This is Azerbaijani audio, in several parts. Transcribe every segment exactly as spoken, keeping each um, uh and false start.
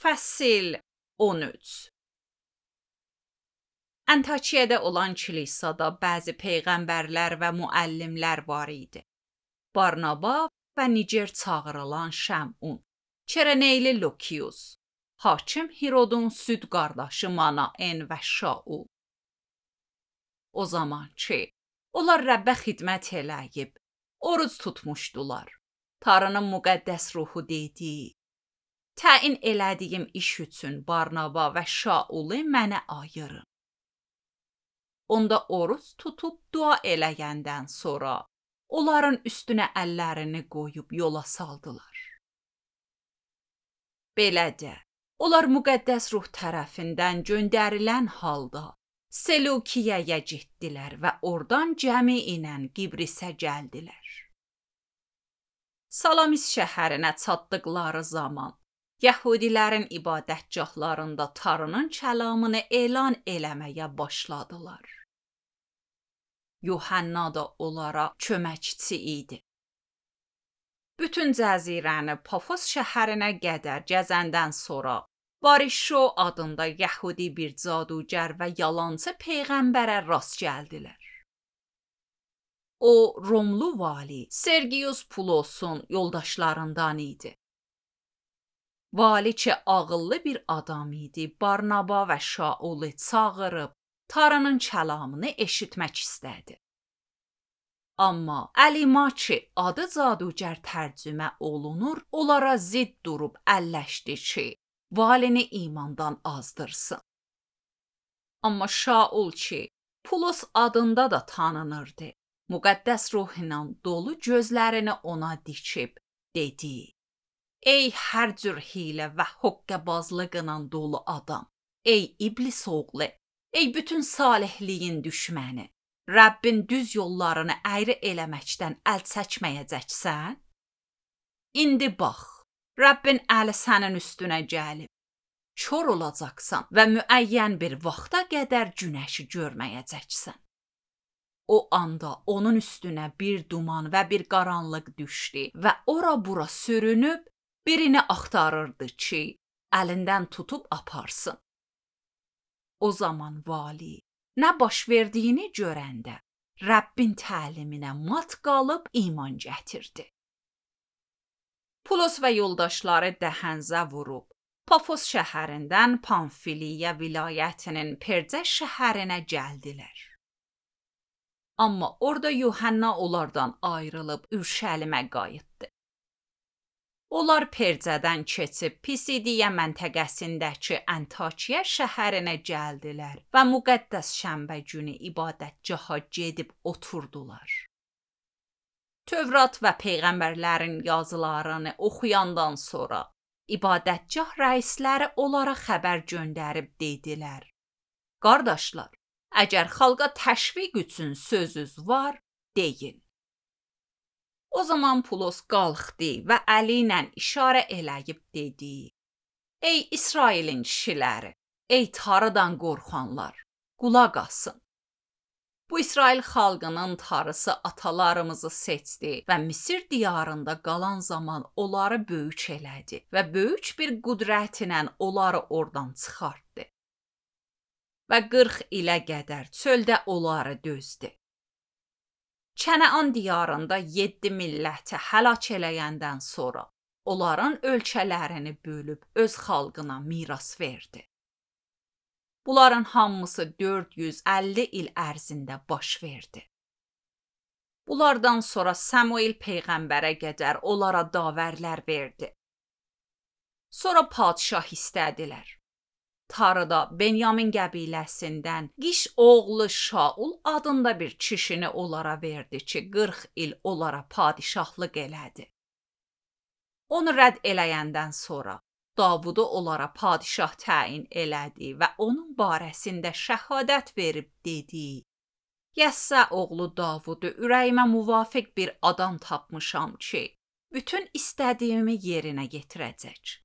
Fəsil on üç. Antakiyada olan kilisada bəzi peyğəmbərlər və müəllimlər var idi. Barnaba və Niger çağırılan Şəmun, Çereneyli Lukius, hakim Hirodun süd qardaşı Manaen və Şaul. O zaman ki, onlar Rəbbə xidmət eləyib, oruc tutmuşdular. Tanrının müqəddəs ruhu dedi: təyin elədiyim iş üçün Barnaba və Şaulu mənə ayırın. Onda oruc tutub dua eləyəndən sonra onların üstünə əllərini qoyub yola saldılar. Belə də, onlar müqəddəs ruh tərəfindən göndərilən halda Selukiyaya getdilər və oradan cəmi ilə Qibrisə gəldilər. Salamis şəhərinə çatdıqları zaman Yəhudilərin ibadətgahlarında Tanrının kəlamını elan eləməyə başladılar. Yuhanna da onlara köməkçi idi. Bütün cəzirəni Pafos şəhərinə qədər gəzəndən sonra Barişo adında Yəhudi bir cadugar və yalançı peyğəmbərə rast gəldilər. O, Romlu vali Sergius Pulosun yoldaşlarından idi. Vali ki ağıllı bir adam idi, Barnaba və Şaulu çağırıb Tanrının kəlamını eşitmək istədi. Amma Əlima ki adı cadugar tərcümə olunur, onlara zidd durub əlləşdi ki, valini imandan azdırsın. Amma Şaul ki Pulos adında da tanınırdı, müqəddəs ruh ilə dolu gözlərini ona dikib dedi: ey hər cür hiylə və hoqqəbazlıqla dolu adam, ey iblis oğlu, ey bütün salihliyin düşməni, Rəbbin düz yollarını əyri eləməkdən əl çəkməyəcəksən? İndi bax, Rəbbin əli sənin üstünə gəlib, kör olacaqsan və müəyyən bir vaxta qədər günəşi görməyəcəksən. O anda onun üstünə bir duman və bir qaranlıq düşdü və ora-bura sürünüb birini axtarırdı ki, əlindən tutub aparsın. O zaman vali nə baş verdiyini görəndə Rəbbin təliminə mat qalıb iman gətirdi. Pulos və yoldaşları dəhənzə vurub Pafos şəhərindən Pamfiliya vilayətinin Percə şəhərinə gəldilər. Amma orada Yuhanna onlardan ayrılıb Ürşəlimə qayıtdı. Onlar Percədən keçib Pisidiya məntəqəsindəki Antakiya şəhərinə gəldilər və müqəddəs şənbə günü ibadətgaha gedib oturdular. Tövrat və peyğəmbərlərin yazılarını oxuyandan sonra ibadətgah rəisləri onlara xəbər göndərib dedilər: qardaşlar, əgər xalqa təşviq üçün sözünüz var, deyin. O zaman Pulos qalxdı və əli ilə işarə eləyib dedi: ey İsrailin kişiləri, ey Tanrıdan qorxanlar, qulaq asın. Bu İsrail xalqının Tanrısı atalarımızı seçdi və Misir diyarında qalan zaman onları böyük elədi və böyük bir qüdrət ilə onları oradan çıxartdı. Və qırx ilə qədər çöldə onları dözdü. Kənaan diyarında yeddi milləti həlak eləyəndən sonra onların ölkələrini bölüb öz xalqına miras verdi. Bunların hamısı dörd yüz əlli il ərzində baş verdi. Bunlardan sonra Samuel peyğəmbərə qədər onlara davərlər verdi. Sonra padşah istədilər. Tanrıda Benyamin qəbiləsindən Qiş oğlu Şaul adında bir kişini onlara verdi ki, qırx il onlara padişahlıq elədi. Onu rədd eləyəndən sonra Davudu onlara padişah təyin elədi və onun barəsində şəhadət verib dedi: Yəssə oğlu Davudu ürəyimə müvafiq bir adam tapmışam ki, bütün istədiyimi yerinə yetirəcək.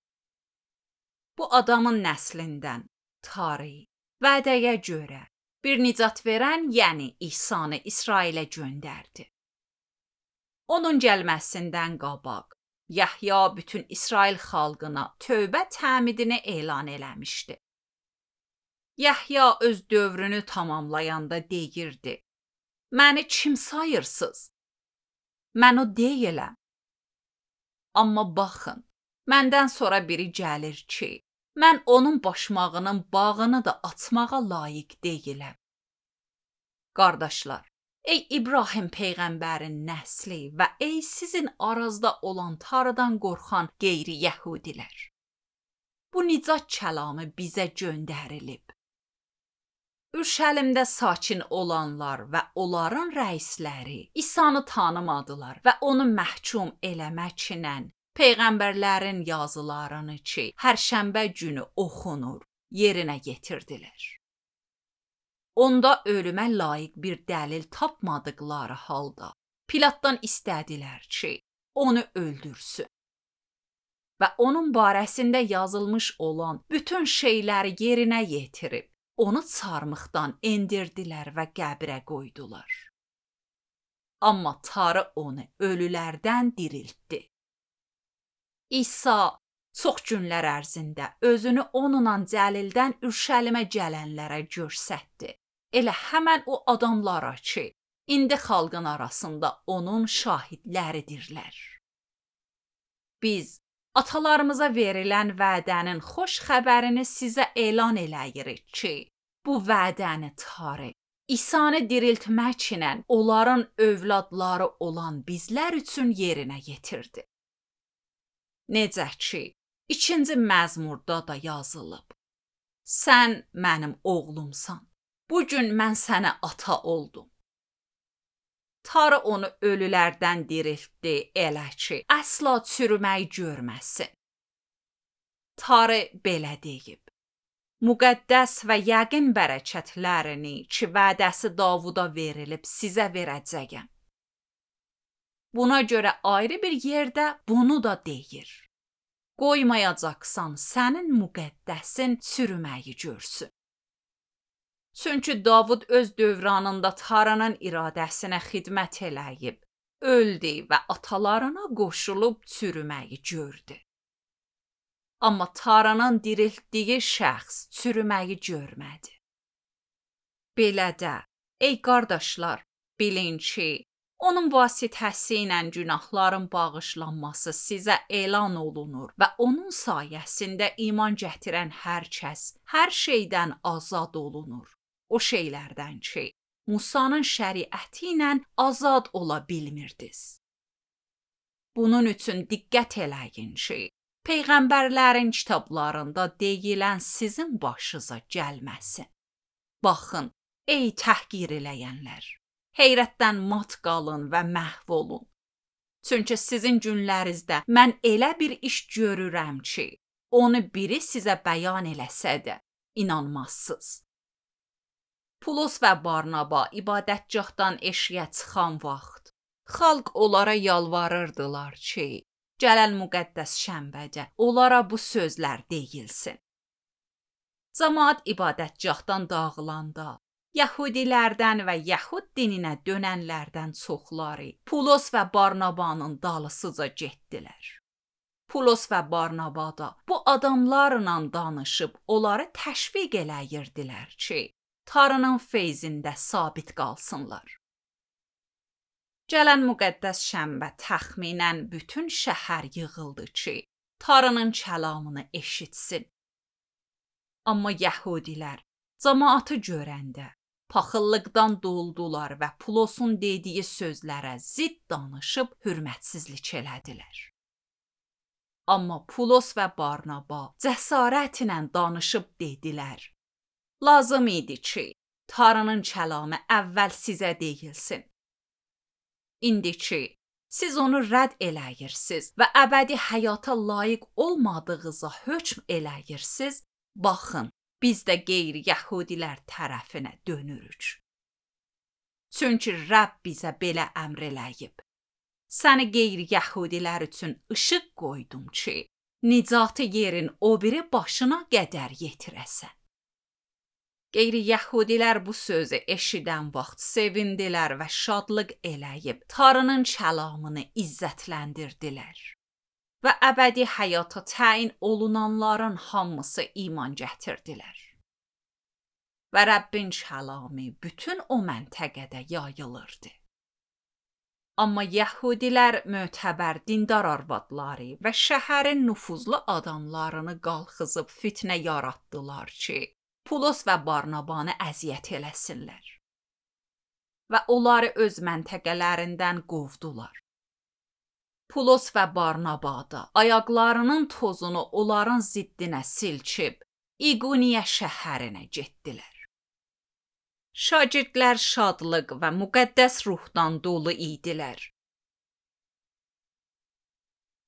Bu adamın nəslindən tarix, vədəyə görə bir nicat verən, yəni İsanı İsrailə göndərdi. Onun gəlməsindən qabaq Yahya bütün İsrail xalqına tövbə təmidini elan eləmişdi. Yahya öz dövrünü tamamlayanda deyirdi: "Məni kim sayırsınız? Mən o deyiləm. Amma baxın, məndən sonra biri gəlir ki, mən onun başmağının bağını da açmağa layiq deyiləm." Qardaşlar, ey İbrahim peyğəmbərin nəsli və ey sizin arazda olan Tanrıdan qorxan qeyri-yəhudilər. Bu nicat kəlamı bizə göndərilib. Ürşəlimdə sakin olanlar və onların rəisləri İsa'nı tanımadılar və onu məhkum eləməklə peyğəmbərlərin yazılarını ki, hər şənbə günü oxunur, yerinə yetirdilər. Onda ölümə layiq bir dəlil tapmadıqları halda Pilatdan istədilər ki, onu öldürsün. Və onun barəsində yazılmış olan bütün şeyləri yerinə yetirib, onu çarmıxdan endirdilər və qəbrə qoydular. Amma Tanrı onu ölülərdən diriltdi. İsa çox günlər ərzində özünü onunla Cəlildən Ürşəlimə gələnlərə göstərdi. Elə həmən o adamlara ki, indi xalqın arasında onun şahidləridirlər. Biz atalarımıza verilən vədənin xoş xəbərini sizə elan eləyirik ki, bu vədəni Tanrı İsa'nı diriltməklə onların övladları olan bizlər üçün yerinə yetirdi. Necə ki, ikinci məzmurda da yazılıb: "Sən mənim oğlumsan, bugün mən sənə ata oldum." Tanrı onu ölülərdən diriltdi elə ki, əsla çürüməyi görməsin. Tanrı belə deyib: "Müqəddəs və yəqin bərəkətlərini ki, vədəsi Davuda verilib sizə verəcəyəm." Buna görə ayrı bir yerdə bunu da deyir: "Qoymayacaqsan sənin müqəddəsin çürüməyi görsün." Çünki Davud öz dövranında Tanrının iradəsinə xidmət eləyib, öldü və atalarına qoşulub çürüməyi gördü. Amma Tanrının diriltdiyi şəxs çürüməyi görmədi. Belə də, ey qardaşlar, bilin ki, onun vasitəsi ilə günahların bağışlanması sizə elan olunur və onun sayəsində iman gətirən hər kəs hər şeydən azad olunur. O şeylərdən ki, Musanın şəriəti ilə azad ola bilmirdiniz. Bunun üçün diqqət eləyin ki, peyğəmbərlərin kitablarında deyilən sizin başınıza gəlməsin. Baxın, ey təhqir eləyənlər, heyrətdən mat qalın və məhv olun. Çünki sizin günlərinizdə mən elə bir iş görürəm ki, onu biri sizə bəyan eləsə də inanmazsınız. Pulos və Barnaba ibadətgahdan eşiyə çıxan vaxt, xalq onlara yalvarırdılar ki, gələn müqəddəs şənbədə onlara bu sözlər deyilsin. Cəmaət ibadətgahdan dağılanda, Yəhudilərdən və Yəhud dininə dönənlərdən çoxları Pulos və Barnabanın dalısıca getdilər. Pulos və Barnaba da bu adamlarla danışıb onları təşviq eləyirdilər ki, Tanrının feyzində sabit qalsınlar. Gələn müqəddəs şənbə təxminən bütün şəhər yığıldı ki, Tanrının kəlamını eşitsin. Amma Yəhudilər cəmaatı görəndə paxıllıqdan doldular və Pulosun dediyi sözlərə zidd danışıb hürmətsizlik elədilər. Amma Pulos və Barnaba cəsarətlə danışıb dedilər: "Lazım idi ki, Tanrının kəlamı əvvəl sizə deyilsin. İndi ki, siz onu rədd eləyirsiniz və əbədi həyata layiq olmadığınıza hökm eləyirsiniz, baxın, biz də qeyri-yəhudilər tərəfinə dönürük. Çünki Rəbb bizə belə əmr eləyib: Səni qeyri-yəhudilər üçün işıq qoydum ki, nicatı yerin o biri başına qədər yetirəsən." Qeyri-yəhudilər bu sözü eşidən vaxt sevindilər və şadlıq eləyib Tanrının kəlamını izzətləndirdilər. və əbədi həyata təyin olunanların hamısı iman gətirdilər. Və Rəbbin kəlamı bütün o məntəqədə yayılırdı. Amma Yəhudilər mötəbər dindar arvadları və şəhərin nüfuzlu adamlarını qalxızıb fitnə yaratdılar ki, Pulos və Barnabanı əziyyət eləsinlər. Və onları öz məntəqələrindən qovdular. Pulos və Barnaba da ayaqlarının tozunu onların ziddinə silçib, İqoniya şəhərinə getdilər. Şagirdlər şadlıq və müqəddəs ruhdan dolu idilər